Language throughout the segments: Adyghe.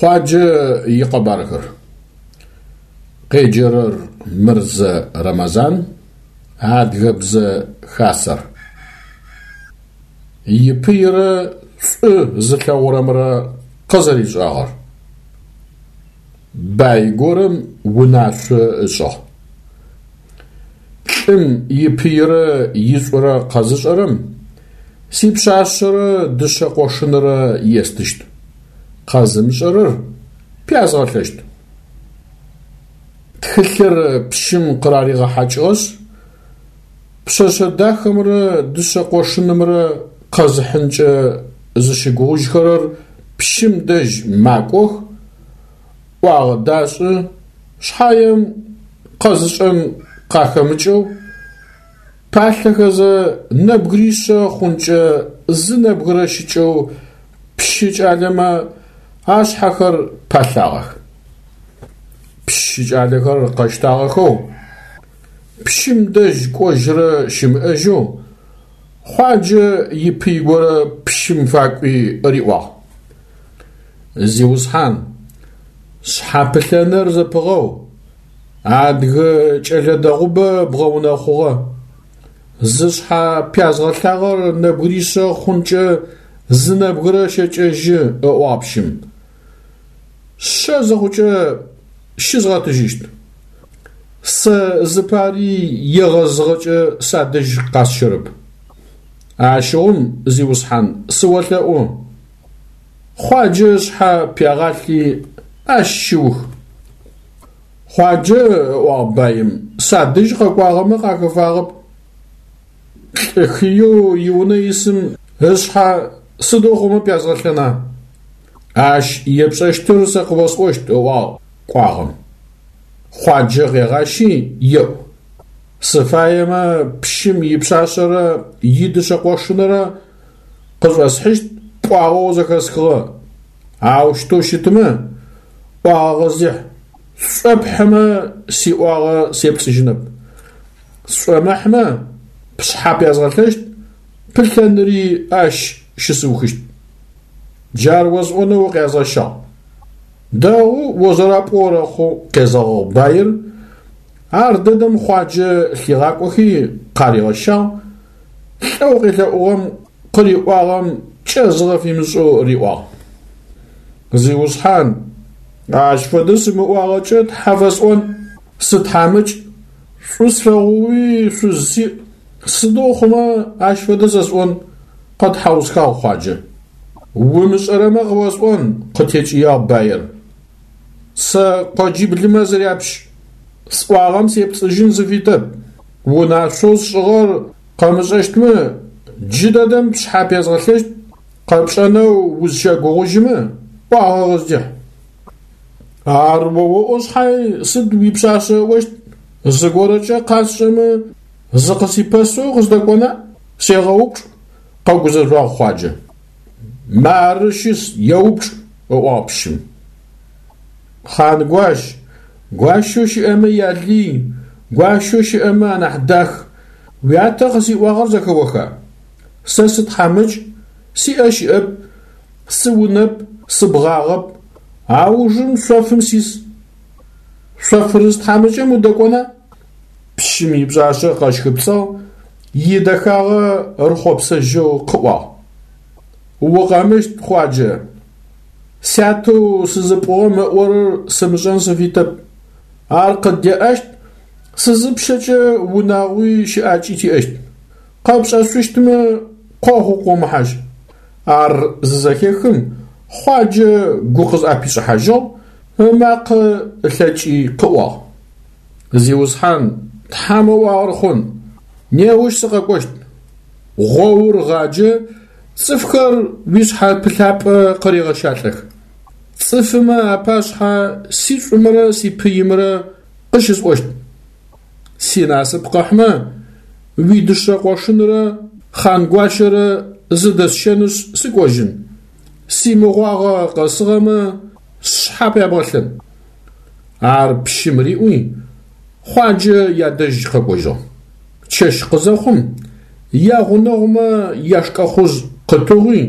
Хъуаджэ икъэбархэр. Къеджэрэр Мырзэ Рэмэзан, Адыгэбзэ Хасэр. Ипыйрэ шӏу зылъэгъурэмрэ къызэришӏагъэр. Бай горэм унашъо ышӏыгъ. Лӏым ипыйрэ ишӏурэ къэзышӏэрэм сипшъашъэрэ дышъэ къошынрэ естыщт. Къэзымышӏэрэр пязгъэлъэщт. Тхылъыр пщым къыраригъэхьакӏыгъэшъ, пшъэшъэ дахэмрэ дышъэ къошынымрэ къэзыхьынкӏэ зыщыгугъыжьхэрэр пщым дэжь макӏох, ӏуагъэ дашӏы, шъхьаем къэзышӏэн къахэмыкӏэу, палъэхэзэ нэбгыришъэ хъункӏэ зы нэбгырэ щыкӏэу пщы кӏалэмэ ашъхьэхэр палъагъэх. Пщы кӏалэхэр къэщтагъэхэу, пщым дэжь кӏожьырэ щымыӏэжьэу, Хъуаджэ ипый горэ пщым факӏуи риӏуагъ: Зиусхьан, шъхьапылъэныр зэпыгъэу, адыгэ кӏэлэ дэгъубэ бгъэунэхъугъэ. Зышъхьэ пязгъэлъагъэр нэбгыришъэ хъункӏэ зы нэбгырэ щэкӏэжьы, ыӏуагъ пщым. Шъэ зыхъукӏэ щызгъэтыжьыщт. Сэ зыпари егъэзыгъэкӏэ садэжь къасщэрэп. Ащыгъум, зиусхьан, сыолъэӏу, Хъуаджэ ышъхьэ пягъалъи, ащ щыух. Хъуаджэ, ыӏуагъ баим, садэжь къэкӏуагъэмэ къахэфагъэп. Лӏы хыеу иунэ исым ышъхьэ сыдэу хъумэ пязгъэлъэна? Ащ епшӏэщтыр сэ къыосӏощт, ыӏуагъ кӏуагъэм. Хъуаджэ къегъащи, еӏу. Сыфаемэ, пщым ипшъашъэрэ идышъэ къошынрэ къышӏосхьыщт пӏуагъэу зэхэсхыгъэ. Аущтэу щытмэ, ӏуагъэ къыздихь. Сшӏопхьымэ, сиӏуагъэ сепцӏыжьынэп. Сшӏомыхьмэ, пшъхьэ пязгъэлъэщт, пылъэныри ащ щысыухыщт. Джар осӏонэу укъязгъэщагъ. Дэгъу о зэрэпӏоу орэхъу, къезэгъыгъ баир. Ар дэдэм Хъуаджэ лъигъакӏохи къаригъэщагъ, лӏэу къелъэӏугъэм къыриӏуагъэм кӏэзыгъэ фимышӏэу риӏуагъ. Зиусхьан, ащ фэдэ сымыӏуагъэкӏэ тхьэ фэсӏон, сытхьамыкӏ, шӏу слъэгъоуи шъуз сиӏ, сыдэу хъумэ ащ фэдэ зэсӏон, къэтхьаусхагъ Хъуаджэ. Умышӏэрэмэ къыосӏон, къытекӏыягъ баир. Сэ къоджиблымэ сыряпщ, сӏуагъэм сепцӏыжьын сыфитэп. Унашъоу сшӏыгъэр къэмышӏэщтмэ, джыдэдэм пшъхьэ пезгъэлъэщт, къэпшӏэнэу узщэгугъыжьымэ, ӏуагъэ къыздихь. Ар о оӏо шъхьай сыд уипшъашъэ ыӏощт? Зыгорэкӏэ къасшӏэмэ, зыкъысипэсэу къыздэкӏона? Сегъэупчӏ, къэгузэжъуагъ Хъуаджэ. Мары щыс, еупчӏ, ыӏуагъ пщым. Хъангуащ, гуащэу щыӏэмэ ялый, гуащэу щыӏэмэ анахь дах, уятэ къысиӏуагъэр зэхэоха? Сэ сытхьамыкӏ, сиӏэ щыӏэп, сыунэп, сыбгъагъэп, аужым шъофым сис. Шъофырыс тхьамыкӏэм удэкӏона? Пщым ипшъашъэ къэщхыпцӏыгъ, идэхагъэ рыхъопсэжьэу къыӏуагъ. Укъэмыщт, Хъуаджэ. Сятэу сызыпӏугъэм ыӏорэр сымышӏэн сыфитэп. Ар къыддеӏэщт, сызыпщэкӏэ унагъуи щыӏакӏи тиӏэщт. Къэпшӏэшъущтмэ, къогъу къомыхьажь. Ар зызэхехым, Хъуаджэ гу къызӏэпишӏыхьажьыгъ, ымакъэ ылъэкӏи къыӏуагъ. Зиусхьан, Тхьэм ыӏуагъэр хъун, неущ сыкъэкӏощт. Гъоур гъаджэ, цӏыфхэр уишъхьэпылъапӏэ къырегъэщалӏэх. Цӏыфымэ апашъхьэ сишӏумрэ сипыимрэ къыщысӏощт. Синасып къыхьмэ, уидышъэ къошынрэ Хъангуащэрэ зыдэсщэнышъ сыкӏожьын. Симыгъуагъэ къэсыгъэмэ, сшъхьэ пябгъэлъэн. Ар пщым риӏуи, Хъуаджэ ядэжь къэкӏожьыгъ. Чэщ къызэхъум, ягъунэгъумэ яшкӏэхъужъ къытыгъуи,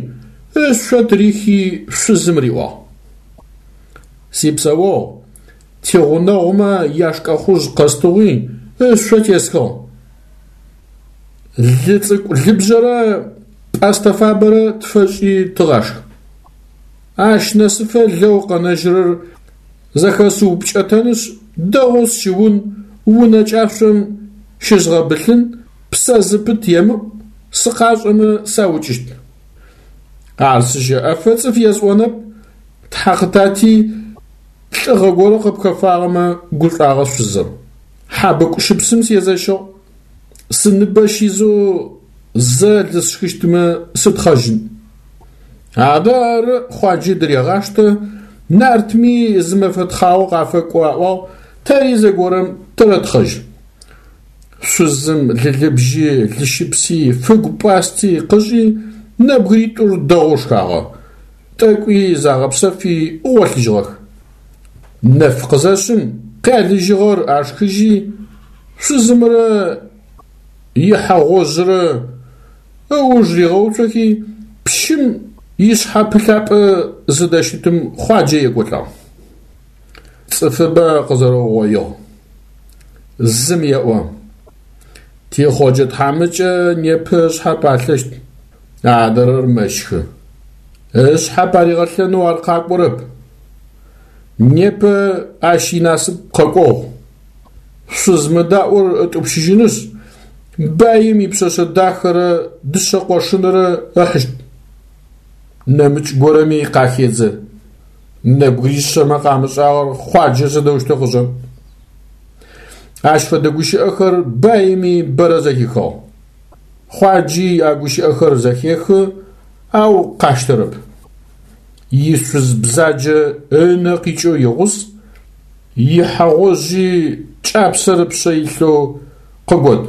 ышъо тырихи шъузым риӏуагъ. Сипсэогъу, тигъунэгъумэ яшкӏэхъужъ къэстыгъуи, ышъо тесхыгъ. Лы цӏыкӏу лыбжьэрэ пӏэстэ фабэрэ тфэшӏи тыгъашх. Ащ нэсыфэ лэу къэнэжьырэр зэхэсыупкӏэтэнышъ, дэгъоу сщыун, унэ кӏашъом щызгъэбылъын, псэ зыпыт емыӏу, сыкъашӏэмэ саукӏыщт. Ар сыщэӏэфэ цӏыф есӏонэп, тхьэ къытати, лӏыгъэ горэ къыпхэфагъэмэ, гушӏуагъэ шъузыр. Хьабыкъу щыпсым сезэщыгъ. Сыныбэ щизэу зэ лы сшхыщтмэ сытхъэжьын. Адэ ары, Хъуаджи дырегъаштэ, нартми зы мэфэ тхъагъо къафэкӏо аӏуагъ, тэри зэгорэм тэрэтхъэжь. Шъузым лылыбжьи, лыщыпси, фыгу пӏасти къышӏи, нэбгыритӏур дэгъоу шхагъэ. Тӏэкӏуи загъэпсэфи гъолъыжьыгъэх. Нэф къызэшъым, къялыжьыгъэр ашхыжьи, шъузымрэ ихьэ гъожьрэ ыуж ригъэуцохи, пщым ишъхьэпылъапӏэ зыдэщытым Хъуаджэ екӏолӏагъ. Цӏыфыбэ къызэрэугъоигъ. Зым еӏо: Тихъоджэ тхьамыкӏэ непэ ышъхьэ палъэщт. Адрэр мэщхы. Ышъхьэ паригъэлъэнэу ар къакӏорэп. Непэ ащ инасып къэкӏогъу. Шъуз мыдаӏор ытӏупщыжьынышъ, баим ипшъэшъэ дахэрэ дышъэ къошынрэ ыхьыщт. Нэмыкӏ горэми къахедзэ. Нэбгыришъэмэ къамышӏагъэр Хъуаджэ сыдэущтэу къышӏэн? Ащ фэдэ гущыӏэхэр баими бэрэ зэхихыгъ. Хъуаджи а гущыӏэхэр зэхехы, ау къаштэрэп. Ишъуз бзаджэ ынэ къикӏэу игъус, ихьэ гъожьи кӏапсэр ыпшъэ илъэу къыгот.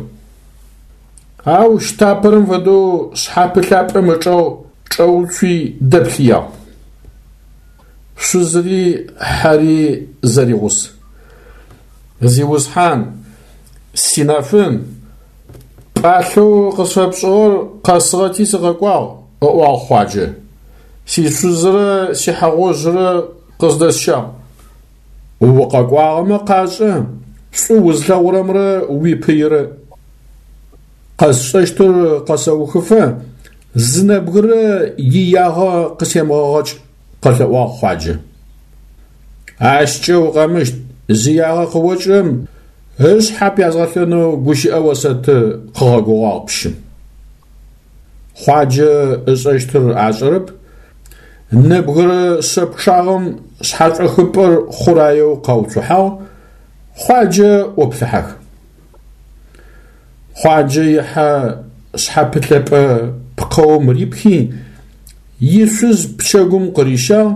Ау щтапэрэм фэдэу шъхьапылъапӏэм ычӏэгъ чӏэуцуи дэплъыягъ. Шъузри хьэри зэригъус. Зиусхьан, синэфын, пӏалъэу къысфэпшӏыгъэр къэсыгъэти сыкъэкӏуагъ, ыӏуагъ Хъуаджэ. Сишъузрэ сихьэ гъожьрэ къыздэсщагъ. Укъэкӏуагъэмэ къашӏэ, шӏу узлъэгъурэмрэ уипыйрэ. Къэсшӏэщтыр къэсэухыфэ зы нэбгырэ иягъэ къысемыгъэгъэкӏ, къэлъэӏуагъ Хъуаджэ. Ащкӏэ укъэмыщт, зиягъэ къыокӏырэм ышъхьэ пязгъэлъэнэу гущыӏэ осэты, къыгъэгугъагъ пщым. Хъуаджэ ышӏэщтыр ашӏэрэп, нэбгырэ шъэ пчъагъэм шъхьэшӏохыпӏэр хъураеу къауцухьагъ, Хъуаджэ ӏоплъыхьэх. Хъуаджэ ихьэ шъхьэпылъэпӏэ пкъэум рипхи, ишъуз пчэгум къырищагъ,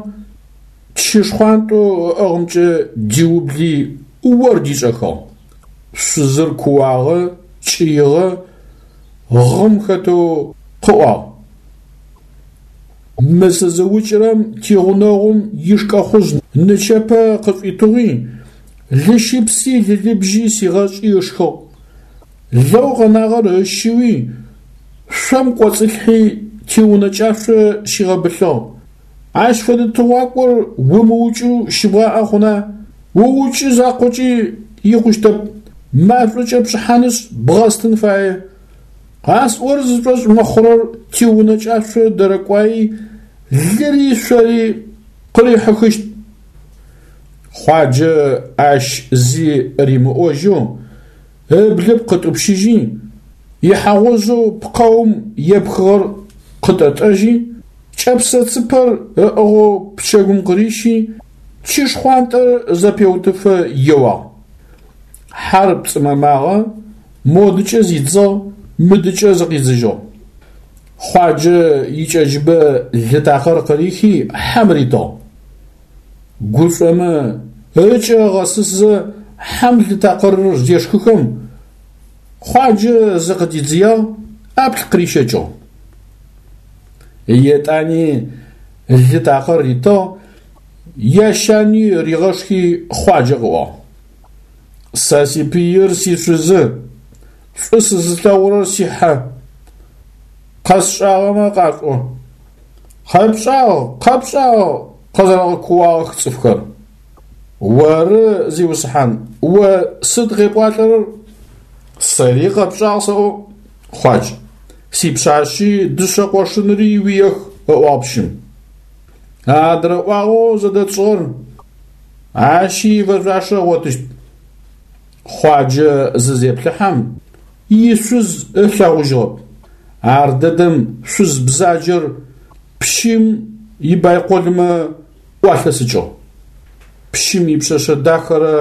чы шхъуантӏэу ыӏыгъымкӏэ диубли ор дишӏэхыгъ. Шъузыр кууагъэ, кӏыигъэ, гъым хэтэу къыӏуагъ. Мы сызыукӏырэм тигъунэгъум ишкӏэхъужъ нычэпэ къышӏуитыгъуи, лыщыпси лылыбжьи сигъэшӏи ышхыгъ. Лэу къэнагъэр ыщыуи, шъом кӏоцӏылъхьи тиунэ кӏашъо щигъэбылъыгъ. Ащ фэдэ тыгъуакӏор умыукӏэу щыбгъаӏэ хъуна? Уукӏы закъокӏи икъущтэп, машӏокӏэ пшӏыхьанышъ бгъэстын фае. Къасӏорэр зышӏошъ мыхъурэр тиунэ кӏашъо дэрэкӏуаи, лыри шъори къырихьыхыщт. Хъуаджэ ащ зи римыӏожьэу ыблыпкъ ытӏупщыжьи, ихьэ гъожьэу пкъэум епхыгъэр къытӏэтӏэжьи, кӏэпсэ цыпэр ыӏыгъэу пчэгум къырищи, чы шхъуантӏэр зэпеутыфэ еуагъ. Хьэр пцӏымэмагъэ, модыкӏэ зидзыгъ, мыдыкӏэ зыкъидзыжьыгъ. Хъуаджэ икӏэджыбэ лы такъыр къырихи хьэм ритыгъ. Гушӏомэ, ыкӏэ ыгъэсысзэ хьэм лы такъырыр зешхыхэм, Хъуаджэ зыкъыдидзыягъ, ӏаплӏ къырищэкӏыгъ. Етӏани лы такъыр ритыгъ, ящани ригъэшхи Хъуаджэ къыӏуагъ. Сэ сипыир сишъузы, шӏу сызылъэгъурэр сихьэ. Къэсшӏагъэмэ къашӏо. Къэпшӏагъ, къэпшӏагъ, къэзэрэгъэкууагъэх цӏыфхэр. Оры, зиусхьан, о сыд къепӏуалӏэрэр? Сэри къэпшӏагъ сэӏо, Хъуадж. Сипшъашъи дышъэ къошынри уиех, ыӏуагъ пщым. Адрэ ӏуагъэу зэдэтшӏыгъэр ащи ифэшъуашэ ыгъотыщт. Хъуаджэ зызеплъыхьэм, ишъуз ылъэгъужьыгъэп. Ар дэдэм шъуз бзаджэр пщым ибайколмэ ӏуалъэсыкӏыгъ. Пщым ипшъэшъэ дахэрэ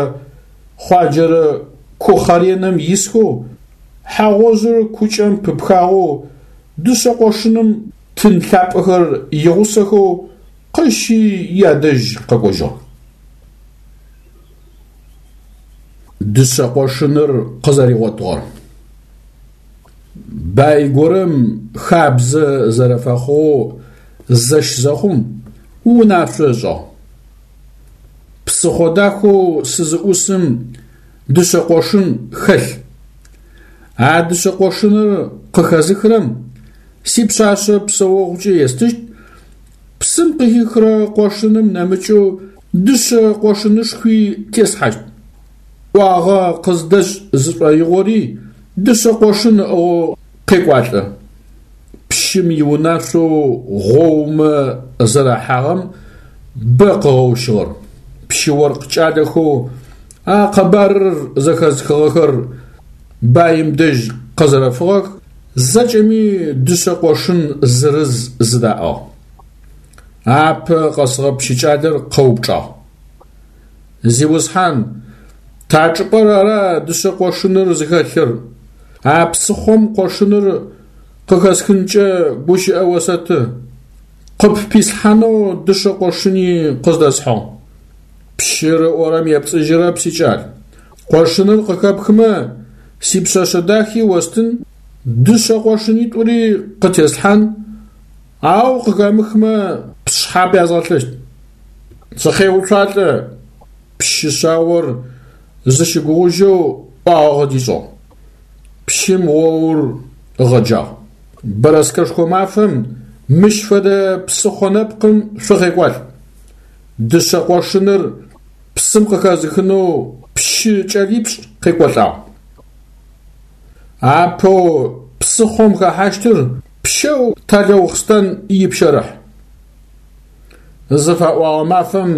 Хъуаджэрэ кухъэренэм исхэу, хьэ гъожьыр кукӏэм пыпхагъэу, дышъэ къошыным тын лъапӏэхэр игъусэхэу къыщи ядэжь къэкӏожьыгъ. Дышъэ къошыныр къызэригъотыгъэр. Бай горэм хабзэ зэрэфэхъугъэу зэщ зэхъум, унашъо ышӏыгъ. Псыхъо дахэу сызыӏусым дышъэ къошын хэлъ. А дышъэ къошыныр къыхэзыхырэм сипшъашъэ псэогъукӏэ естыщт, псым къыхихырэ къошыным нэмыкӏэу дышъэ къошынышхуи теслъхьащт. ӏуагъэ къыздэшӏ зышӏоигъори дышъэ къошын ыӏыгъэу къекӏуалӏэ. Пщым иунашъоу гъоумэ зэрахьагъэм бэ къыгъэущыгъэр. Пщы-оркъ кӏалэхэу а къэбарыр зэхэзыхыгъэхэр баим дэжь къэзэрэфыгъэх, зэкӏэми дышъэ къошын зырыз зыдаӏыгъ. Апэ къэсыгъэ пщыкӏалэр къэупчӏагъ. Зиусхьан, та чӏыпӏэр ара дышъэ къошыныр зыхэлъыр? А псыхъом къошыныр къыхэсхынкӏэ гущыӏэ осэты. Къыппислъхьанэу дышъэ къошыни къыздэсхьыгъ. Пщыр ыӏорэм епцӏыжьырэп, сикӏал. Къошыныр къыхэпхымэ, сипшъэшъэ дахи остын, дышъэ къошынитӏури къытеслъхьан, ау къыхэмыхмэ, пшъхьэ пязгъэлъыщт. Сыкъеуцуалӏэ, пщы шъаор зыщыгугъыжьэу ӏуагъэ къыдишӏыгъ. Пщым гъоур ыгъэджагъ. Бэрэскэшхо мафэм мыщ фэдэ псыхъо нэпкъым шъукъекӏуалӏ. Дышъэ къошыныр псым къыхэзыхынэу пщы кӏэлипшӏ къекӏолӏагъ. Апэу псыхъом хэхьащтыр пщэу Талэухъстэн ипщэрыхь. Зыфаӏуагъэ мафэм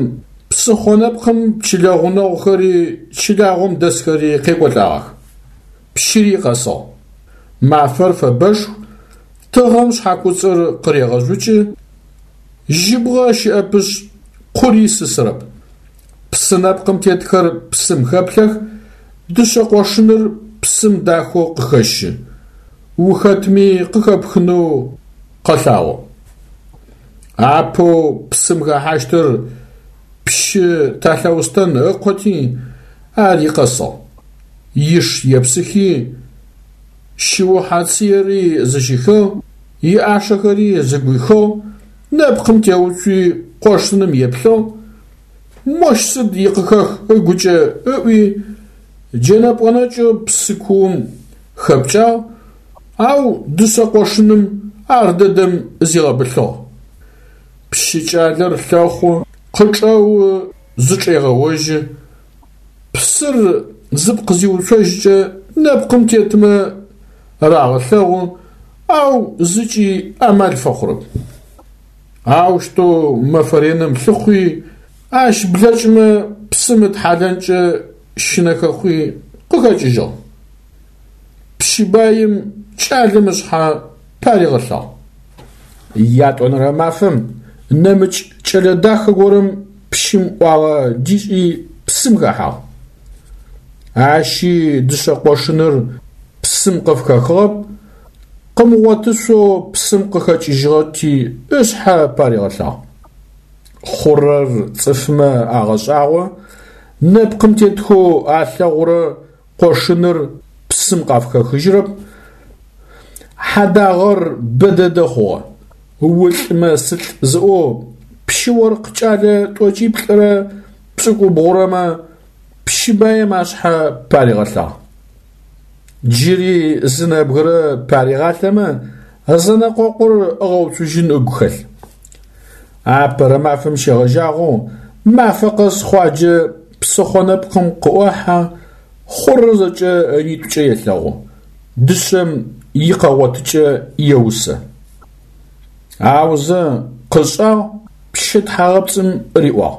псыхъо нэпкъым чылэ гъунэгъухэри чылагъом дэсхэри къекӏолӏагъэх. Пщыри къэсыгъ. Мафэр фэбэшху, тыгъэм шъхьакуцӏыр къырегъэжъукӏы, жьыбгъэ щыӏэпышъ, къури сысырэп. Псы нэпкъым тетхэр псым хэплъэх, дышъэ къошыныр псым дахэу къыхэщы, ухэтми къыхэпхынэу къэлъагъо. Апэу псым хэхьащтыр пщы Талъэустэн ыкъоти, ари къэсыгъ. Иш епсыхи, шыухьэ-цыери зыщихыгъ, иӏашэхэри зыгуихыгъ, нэпкъым теуцуи къошыным еплъыгъ, мощ сыд икъыхэх ыгукӏэ ыӏуи, джэнэ пӏонэкӏэу псы куум хэпкӏагъ, ау дышъэ къошыным ар дэдэм зигъэбылъыгъ. Пщы кӏалэр лъэхъу, къычӏэуи зычӏегъэожьы. Псыр зыпкъ зиуцожькӏэ нэпкъым тетмэ рагъэлъэгъу, ау зыкӏи амал фэхъурэп. Аущтэу мэфэ реным лъыхъуи, ащ блэкӏымэ псым ытхьалэнкӏэ щынэхэ хъуи, къыхэкӏыжьыгъ. Пщы баим кӏалэм ышъхьэ паригъэлъагъ. Ятӏонэрэ мафэм нэмыкӏ кӏэлэ дахэ горэм пщым ӏуагъэ дишӏи псым хэхьагъ. Ащи дышъэ къошыныр псым къыфхэхыгъэп, къымыгъотышъоу псым къыхэкӏыжьыгъэти ышъхьэ паригъэлъагъ. Хъурэр цӏыфмэ агъэшӏагъо, нэпкъым тетхэу алъэгъурэ къошыныр псым къафхэхыжьырэп, хьадагъэр бэ дэдэ хъугъэ. Улӏмэ сылӏ зыӏоу пщы-оркъ кӏэлэ тӏокӏиплӏырэ пшӏыкӏубгъурэмэ пщы баим ашъхьэ паригъэлъагъ. Джыри зы нэбгырэ паригъалъэмэ, зэнэкъокъур ыгъэуцужьын ыгу хэлъ. Апэрэ мафэм щегъэжьагъэу мафэ къэс Хъуаджэ псыхъо нэпкъым къыӏохьэ, хъурэр зэкӏэ ынитӏукӏэ елъэгъу, дышъэм икъэгъотыкӏэ еусэ. Аузэ къышӏагъ, пщы тхьагъэпцӏым риӏуагъ: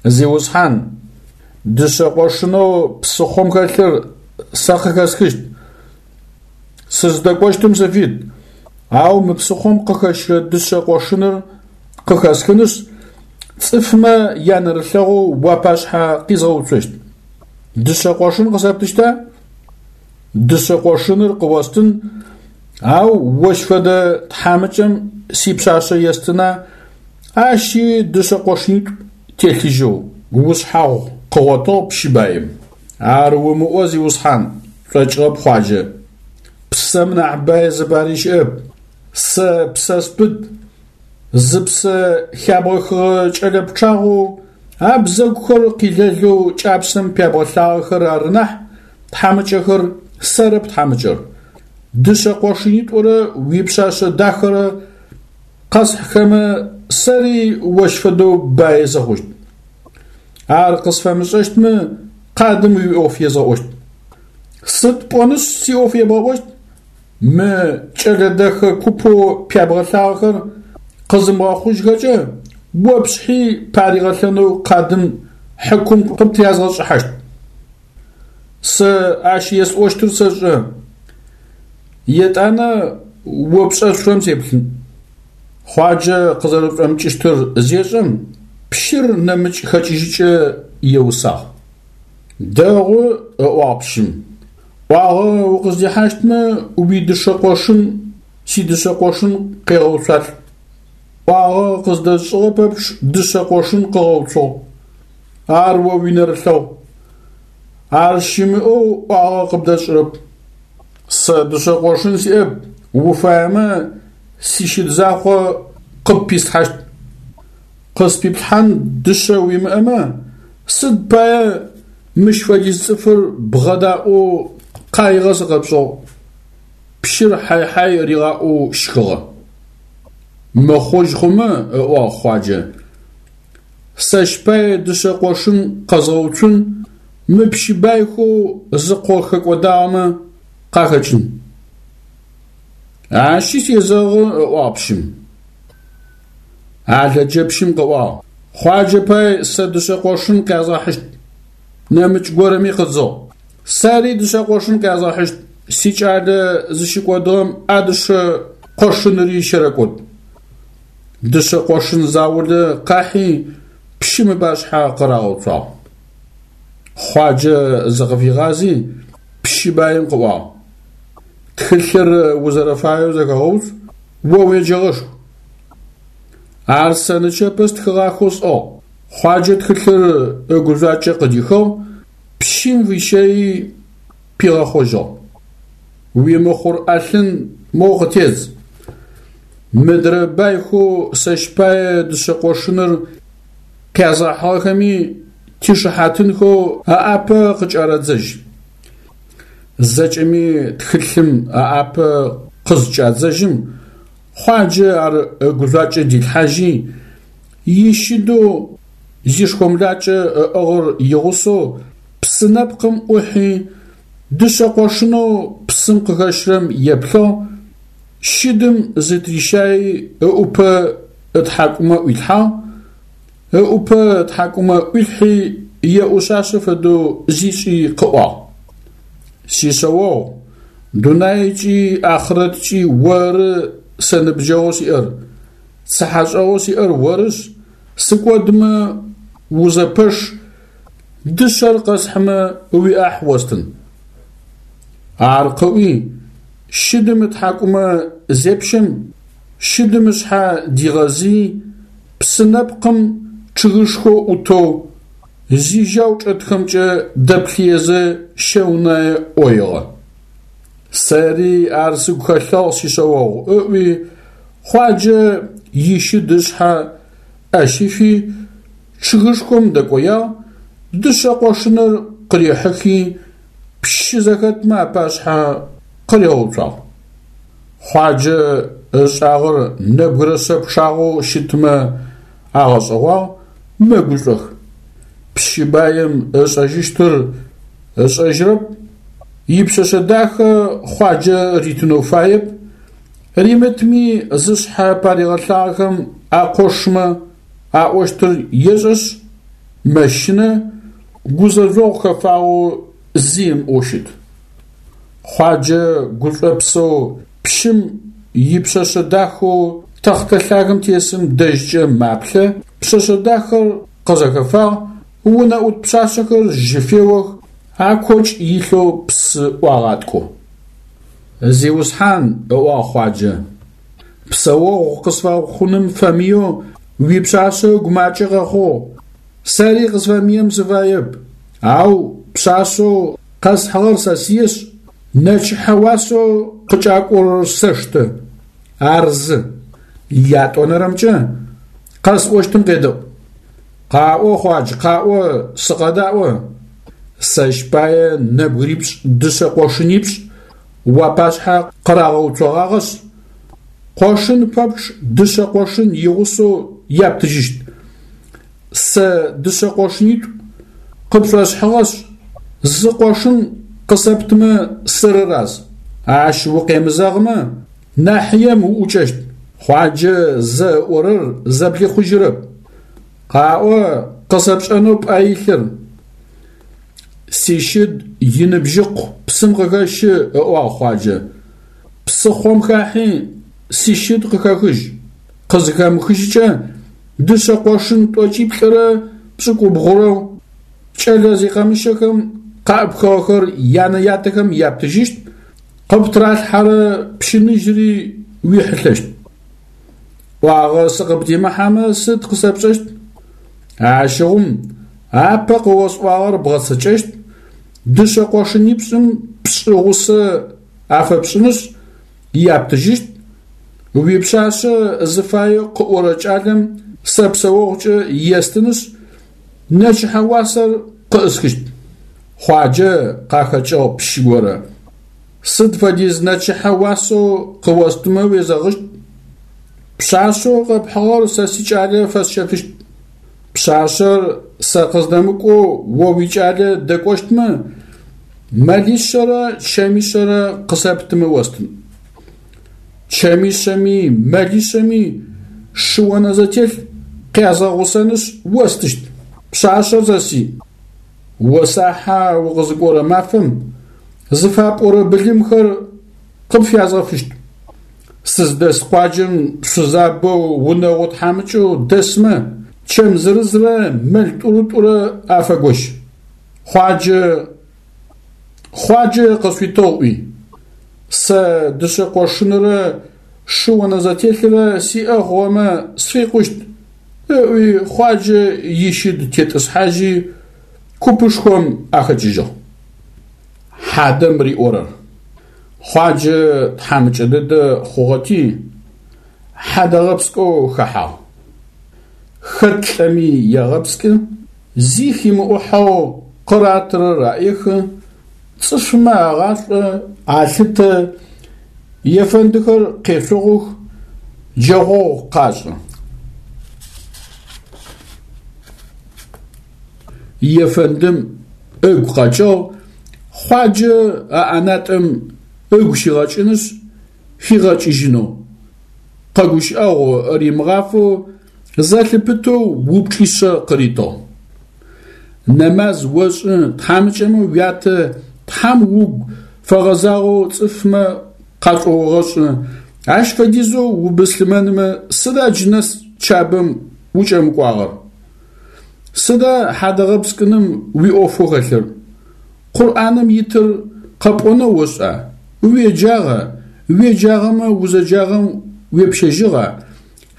Зиусхьан, дышъэ къошынэу псыхъом хэлъыр сэ къыхэсхыщт. Сыздэкӏощтым сыфит, ау мы псыхъом къыхэщырэ дышъэ къошыныр къыхэсхынышъ, цӏыфмэ янэрылъэгъоу уапашъхьэ къизгъэуцощт. Дышъэ къошын къысэптыщта? Дышъэ къошыныр къыостын, ау ощ фэдэ тхьамыкӏэм сипшъашъэ естына, ащи дышъэ къошынитӏу телъыжьэу, ушъхьагъу къыгъотыгъ пщы баим. Ар умыӏо, зиусхьан, шӏокӏыгъэп Хъуаджэ. Псэм нахь бай зыпари щыӏэп. Сэ псэ спыт, зыпсэ хябгъэхыгъэ кӏэлэ пчъагъэу абзэгухэр къилэлэу кӏапсэм пябгъэлъагъэхэр ары нахь, тхьамыкӏэхэр, сэрэп тхьамыкӏэр. Дышъэ къошынитӏурэ уипшъашъэ дахэрэ къэсхьхэмэ, сэри ощ фэдэу баи сыхъущт. Ар къысфэмышӏэщтмэ, къадым уиӏоф езгъэӏощт. Сыд пӏонышъ сиӏоф ебгъэӏощт? Мы кӏэлэ дэхэ купэу пябгъэлъагъэхэр къызымыгъэхъужьхэкӏэ, о пшъхьи паригъэлъэнэу къадым хьыкум къыптрязгъэшӏыхьащт. Сэ ащ есӏощтыр сэшӏэ. Етӏанэ о пшӏэшъурэм сеплъын. Хъуаджэ къызэрэшӏомыкӏыщтыр зешӏэм, пщыр нэмыкӏ хэкӏыжьыкӏэ еусагъ. Дэгъу, ыӏуагъ пщым. ӏуагъэ укъыздихьащтмэ, уидышъэ къошын сидышъэ къошын къегъэуцуалӏ. ӏуагъэ къыздэзышӏыгъэ пэпчъ дышъэ къошын къыгъэуцугъ. Ар о уинэрылъэгъу. Ар щымыӏэу ӏуагъэ къыбдэсшӏырэп. Сэ дышъэ къошын сиӏэп, уфаемэ сищыд закъо къыппислъхьащт. Къыспиплъхьан дышъэ уимыӏэмэ, сыд пае мыщ фэдиз цӏыфыр бгъэдаӏоу къаигъэ сыкъэпшӏыгъ? Пщыр хьай-хьай ригъаӏоу щхыгъэ. Мыхъужь хъумэ, ыӏуагъ Хъуаджэ, сэщ пае дышъэ къошын къэзгъэуцун мы пщы байхэу зыкъо хэкӏодагъэмэ къахэкӏын. Ащи сезэгъы, ыӏуагъ пщым. ӏалэджэпщым къыӏуагъ, Хъуаджэ пай сэ дышъэ къошын къязгъэхьыщт. Нэмыкӏ горэми къыдзыгъ, Сэри дышъэ къошын къязгъэхьыщт, сикӏалэ зыщыкӏодыгъэм а дышъэ къошыныри щэрэкӏод. Дышъэ къошын заулэ къахьи пщым ыпашъхьэ къырагъэуцуагъ. Хъуаджэ зыкъыфигъази, пщы баим къыӏуагъ, Тхылъыр узэрэфаеу зэхэгъэуцу, о уеджэгъэшху. Ар сэ нычэпэ стхыгъахэу сӏыгъ. Хъуаджэ тхылъыр ыгужъуакӏэ къыдихыгъ, пщым фищэйи пигъэхъожьыгъ. Уимыхъур ӏэлъын моу къытедз. Мыдрэ байхэу сэщ пае дышъэ къошыныр къязгъэхьыгъэхэми тишыхьатынхэу аӏапэ къыкӏарэдзэжь. Зэкӏэми тхылъым аӏапэ къызкӏадзэжьым, Хъуаджэ ар ыгужъуакӏэ дилъхьажьи, ищыдэу зишхомлакӏэ ыӏыгъыр игъусэу псы нэпкъым ӏухьи, дышъэ къошынэу псым къыхэщрэм еплъыгъ, щыдым зытрищаи ыӏупэ ытхьакӏумэ ӏуилъхьагъ, ыӏупэ ытхьакӏумэ ӏуилъхьи еӏушъашъэ фэдэу зишӏи къыӏуагъ: Сишъэогъу, дунайкӏи ахърэткӏи оры сэ ныбджэгъоу сиӏэр, цыхьэшӏэгъоу сиӏэр орышъ, сыкӏодмэ узэпэш, дышъэр къэсхьымэ уиӏахь остын. Ар къыӏуи, щыдым ытхьакӏумэ зепщэм, щыдым ышъхьэ дигъэзыйи, псы нэпкъым чъыгышхо ӏутэу, зижьау чӏэтхэмкӏэ дэплъыезэ щэунае ӏоигъэ. Сэри ар сыгу хэлъыгъ сишъэогъу, ыӏуи, Хъуаджэ ищыд ышъхьэ ӏэ щифи, чъыгышхом дэкӏоягъ, дышъэ къошыныр къырихьыхи, пщы зэхэтмэ апашъхьэ къыригъэуцуагъ. Хъуаджэ ышӏагъэр нэбгырэ шъэ пчъагъэу щытмэ агъэшӏэгъуагъ, мэгушӏох. Пщы баим ышӏэжьыщтыр ышӏэжьырэп, ипшъэшъэ дахэ Хъуаджэ ритынэу фаеп, римытми зышъхьэ паригъэлъагъэхэм акъошмэ аӏощтыр ешӏэшъ, мэщынэ, гузэжъогъу хэфагъэу зи ымыӏоу щыт. Хъуаджэ гушӏопсэу пщым ипшъэшъэ дахэу тэхътэ лъагэм тесым дэжькӏэ маплъэ, пшъэшъэ дахэр къызэхэфагъ, унэӏут пшъашъэхэр жьы феох, акокӏ илъэу псы ӏуагъаткӏо. Зиусхьан, ыӏуагъ Хъуаджэ, псэогъу къысфэхъуным фэмыеу уипшъашъэ ыгу макӏэ къэхъугъ, сэри къысфэмыем сыфаеп, ау пшъашъэу къэсхьыгъэр сэсыешъ, нэчыхьэ уасэу къыкӏакӏорэр сэштэ, ар зы. Ятӏонэрэмкӏэ, къэсӏощтым къедэӏу. Къаӏо, Хъуадж, къаӏо, сыкъэдаӏо. Сэщ пае нэбгырипшӏ дышъэ къошынипшӏ уапашъхьэ къырагъэуцогъагъэшъ, къошын пэпчъ дышъэ къошын игъусэу яптыжьыщт. Сэ дышъэ къошынитӏу къыпшӏосхьыгъэшъ, зы къошын къысэптымэ сырыраз. Ащ укъемызэгъымэ, нахьыем уӏукӏэщт. Хъуаджэ зэ ыӏорэр зэблихъужьырэп. Къаӏо, къысэпшӏэнэу пӏэ илъыр. Сищыд иныбжьыкъу псым къыхэщы, ыӏуагъ Хъуаджэ. Псыхъом хахьи, сищыд къыхэхыжь. Къызыхэмыхыжькӏэ, дышъэ къошын тӏокӏиплӏырэ пшӏыкӏубгъурэу кӏэлэ зикъэмыщэхэм къаӏыпхыгъэхэр янэ-ятэхэм яптыжьыщт, къыптралъхьэрэ пщыныжьри уихьылъэщт. ӏуагъэ сыкъыбдимыхьэмэ сыд къысэпшӏэщт? Ащыгъум апэ къыосӏуагъэр бгъэцэкӏэщт, дышъэ къошынипшӏым пшӏы гъусэ афэпшӏынышъ, яптыжьыщт, уипшъашъэ зыфае къыӏорэ кӏалэм сэ псэогъукӏэ естынышъ, нэчыхьэ уасэр къыӏысхыщт. Хъуаджэ къахэкӏыгъ пщы горэ. Сыд фэдиз нэчыхьэ уасэу къыостымэ уезэгъыщт? Пшъашъэу къэпхьыгъэр сэ сикӏалэ фэсщэфыщт. Пшъашъэр сэ къыздэмыкӏоу о уикӏалэ дэкӏощтмэ, мэлишъэрэ чэмишъэрэ къысэптымэ остын. Чэмишъэми мэлишъэми шы онэзэтелъ къязгъэгъусэнышъ остыщт. Пшъашъэр сэсый. Осахьа укъызыкӏорэ мафэм зыфапӏорэ былымхэр къыпфязгъэфыщт. Сыздэс къуаджэм шъузабэу унэгъо тхьамыкӏэу дэсмэ чэм зырызрэ мэл тӏурытӏурэ афэгощ. Хъуаджэ Хъуаджэ къысфитыгъ ыӏуи, сэ дышъэ къошынрэ шы онэзэтелърэ сиӏэ хъугъэмэ сфикъущт, ыӏуи Хъуаджэ ищыд тетӏысхьажьи, купышхом ахэкӏыжьыгъ. Хьадэм риӏорэр. Хъуаджэ тхьамыкӏэ дэдэ хъугъэти, хьадэгъэпскӏэу хэхьагъ. Хэт лӏэми егъэпскӏы, зи химыӏухьэу къыратырэр аӏехы, цӏыфмэ агъашӏо, алъытэ, ефэндыхэр къешъугъух, джэгъогъу къашӏы. Ефэндым ыгу къэкӏыгъ Хъуаджэ а ӏэнатӏэм ыгу щигъэкӏынышъ, хигъэкӏыжьынэу. Къэгущыӏэгъу римыгъафэу зэлъыпытэу упчӏишъэ къыритыгъ. Нэмаз ошӏы, тхьамыкӏэмэ уятэ Тхьэм угу фэгъэзагъэу цӏыфмэ къашӏоогъэшӏы, ащ фэдизэу убыслъымэнмэ сыда джынэс Чабэм укӏэмыкӏуагъэр? Сыда хьадэгъэпскӏыным уиӏофэу хэлъыр? Къурӏаным итыр къэпӏонэу ошӏа? Уеджагъа? Уеджагъэмэ узэджагъэм уепщэжьыгъа?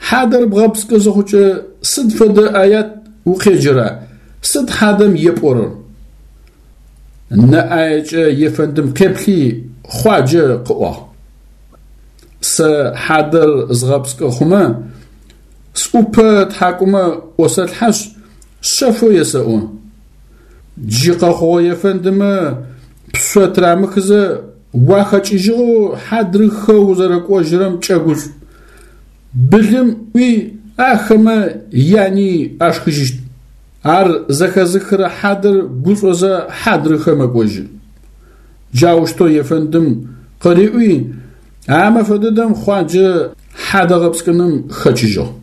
Хьадэр бгъэпскӏы зыхъукӏэ сыд фэдэ аят укъеджэра? Сыд хьадэм епӏорэр? Нэ ӏаекӏэ ефэндым къеплъи, Хъуаджэ къыӏуагъ. Сэ хьадэр згъэпскӏы хъумэ, сӏупэ тхьакӏумэ ӏосэлъхьэшъ, шъэфэу есэӏо. Джы къэхъугъэ ефэндымэ пшъо тырамыхызэ уахэкӏыжьыгъэу хьадрыхэ узэрэкӏожьырэм кӏэгушӏу. Былым ӏуи ахэмэ яни ашхыжьыщт. Ар зэхэзыхырэ хьадэр гушӏозэ хьадрыхэ мэкӏожьы. Джаущтэу ефэндым къыриӏуи, а мэфэ дэдэм Хъуаджэ хьадэ гъэпскӏыным хэкӏыжьыгъ.